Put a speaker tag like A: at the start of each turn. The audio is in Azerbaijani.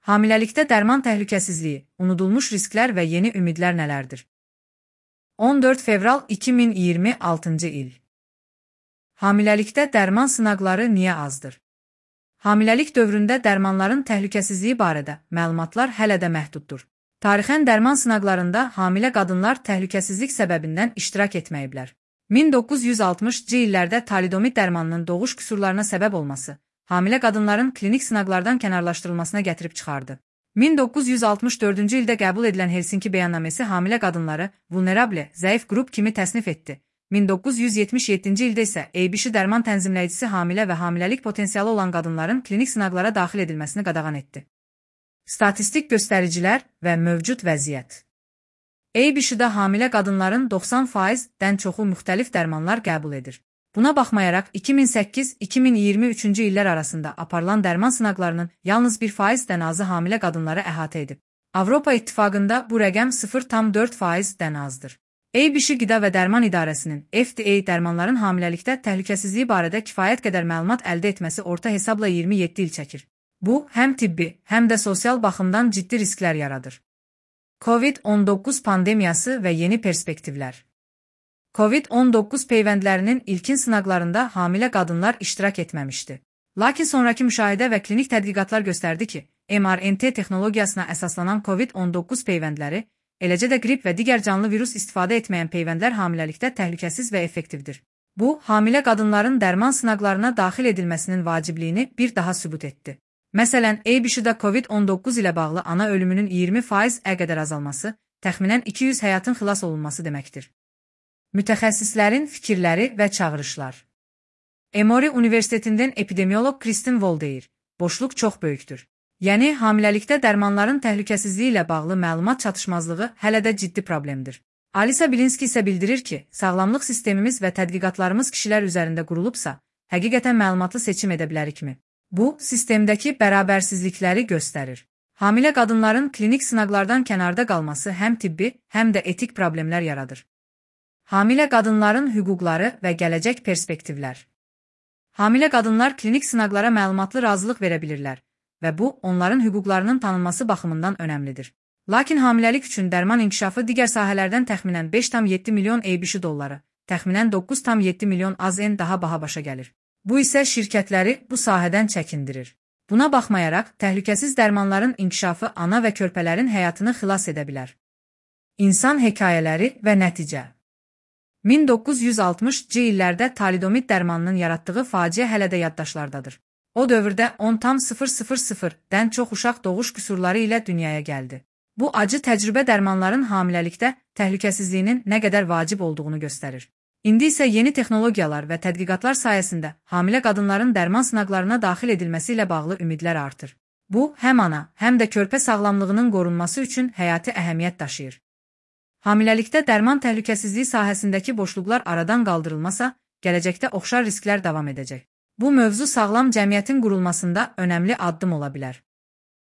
A: Hamiləlikdə dərman təhlükəsizliyi, unudulmuş risklər və yeni ümidlər nələrdir? 14 fevral 2026-cı il. Hamiləlikdə dərman sınaqları niyə azdır? Hamiləlik dövründə dərmanların təhlükəsizliyi barədə məlumatlar hələ də məhduddur. Tarixən dərman sınaqlarında hamilə qadınlar təhlükəsizlik səbəbindən iştirak etməyiblər. 1960-cı illərdə talidomid dərmanının doğuş qüsurlarına səbəb olması, hamilə qadınların klinik sınaqlardan kənarlaşdırılmasına gətirib çıxardı. 1964-cü ildə qəbul edilən Helsinki bəyannaməsi hamilə qadınları vulnerable, zəif qrup kimi təsnif etdi. 1977-ci ildə isə ABC dərman tənzimləyicisi hamilə və hamiləlik potensialı olan qadınların klinik sınaqlara daxil edilməsini qadağan etdi. Statistik göstəricilər və mövcud vəziyyət. ABC-də hamilə qadınların 90%-dən çoxu müxtəlif dərmanlar qəbul edir. Buna baxmayaraq 2008-2023-cü illər arasında aparılan dərman sınaqlarının yalnız 1%-dən azı hamilə qadınları əhatə edib. Avropa İttifaqında bu rəqəm 0,4%-dən azdır. ABC Qida və Dərman İdarəsinin FDA dərmanların hamiləlikdə təhlükəsizliyi barədə kifayət qədər məlumat əldə etməsi orta hesabla 27 il çəkir. Bu, həm tibbi, həm də sosial baxımdan ciddi risklər yaradır. COVID-19 pandemiyası və yeni perspektivlər. COVID-19 peyvəndlərinin ilkin sınaqlarında hamilə qadınlar iştirak etməmişdi. Lakin sonraki müşahidə və klinik tədqiqatlar göstərdi ki, mRNA texnologiyasına əsaslanan COVID-19 peyvəndləri, eləcə də qrip və digər canlı virus istifadə etməyən peyvəndlər hamiləlikdə təhlükəsiz və effektivdir. Bu, hamilə qadınların dərman sınaqlarına daxil edilməsinin vacibliyini bir daha sübut etdi. Məsələn, ABC-də COVID-19 ilə bağlı ana ölümünün 20%-ə qədər azalması, təxminən 200 həyatın xilas olunması deməkdir. Mütəxəssislərin fikirləri və çağırışlar. Emory Universitetindən epidemiolog Kristin Wall deyir, boşluq çox böyükdür. Yəni, hamiləlikdə dərmanların təhlükəsizliyi ilə bağlı məlumat çatışmazlığı hələ də ciddi problemdir. Alisa Bilinski isə bildirir ki, sağlamlıq sistemimiz və tədqiqatlarımız kişilər üzərində qurulubsa, həqiqətən məlumatlı seçim edə bilərikmi? Bu, sistemdəki bərabərsizlikləri göstərir. Hamilə qadınların klinik sınaqlardan kənarda qalması həm tibbi, həm də etik problemlər yaradır. Hamilə qadınların hüquqları və gələcək perspektivlər. Hamilə qadınlar klinik sınaqlara məlumatlı razılıq verə bilirlər və bu, onların hüquqlarının tanınması baxımından önəmlidir. Lakin hamiləlik üçün dərman inkişafı digər sahələrdən təxminən 5,7 milyon ABC dolları, təxminən 9,7 milyon AZN daha baha başa gəlir. Bu isə şirkətləri bu sahədən çəkindirir. Buna baxmayaraq, təhlükəsiz dərmanların inkişafı ana və körpələrin həyatını xilas edə bilər. İnsan hekayələri və nəticə. 1960-cı illərdə talidomid dərmanının yaratdığı faciə hələ də yaddaşlardadır. O dövrdə 10,000-dən çox uşaq doğuş qüsurları ilə dünyaya gəldi. Bu acı təcrübə dərmanların hamiləlikdə təhlükəsizliyinin nə qədər vacib olduğunu göstərir. İndi isə yeni texnologiyalar və tədqiqatlar sayəsində hamilə qadınların dərman sınaqlarına daxil edilməsi ilə bağlı ümidlər artır. Bu, həm ana, həm də körpə sağlamlığının qorunması üçün həyati əhəmiyyət daşıyır. Hamiləlikdə dərman təhlükəsizliyi sahəsindəki boşluqlar aradan qaldırılmasa, gələcəkdə oxşar risklər davam edəcək. Bu mövzu sağlam cəmiyyətin qurulmasında önəmli addım ola bilər.